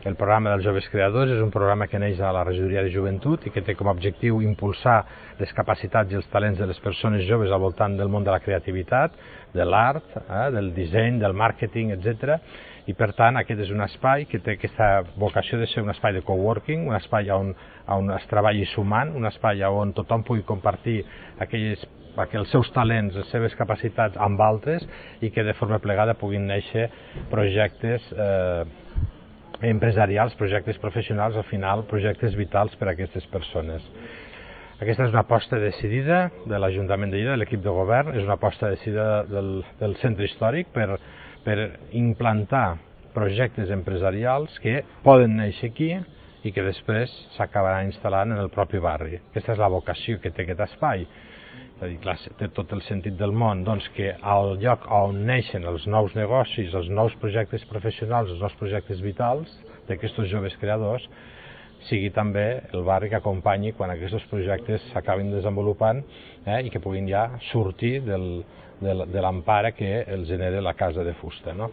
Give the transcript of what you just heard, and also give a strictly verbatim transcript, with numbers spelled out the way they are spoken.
El programa dels joves creadors és un programa que neix a la regidoria de joventut i que té com a objectiu impulsar les capacitats i els talents de les persones joves al voltant del món de la creativitat, de l'art, eh, del disseny, del màrqueting, etcètera. I per tant aquest és un espai que té aquesta vocació de ser un espai de coworking, un espai on, on es treballi sumant, un espai on tothom pugui compartir aquelles perquè els seus talents, les seves capacitats amb altres i que de forma plegada puguin néixer projectes eh, empresarials, projectes professionals, al final projectes vitals per a aquestes persones. Aquesta és una aposta decidida de l'Ajuntament de Lleida, de l'equip de govern, és una aposta decidida del, del centre històric per, per implantar projectes empresarials que poden néixer aquí i que després s'acabaran instal·lant en el propi barri. Aquesta és la vocació que té aquest espai. És a dir, clar, té tot el sentit del món, doncs que al lloc on neixen els nous negocis, els nous projectes professionals, els nous projectes vitals d'aquests joves creadors, sigui també el barri que acompanyi quan aquests projectes s'acabin desenvolupant eh, i que puguin ja sortir del, de l'empara que els genera la casa de fusta. No?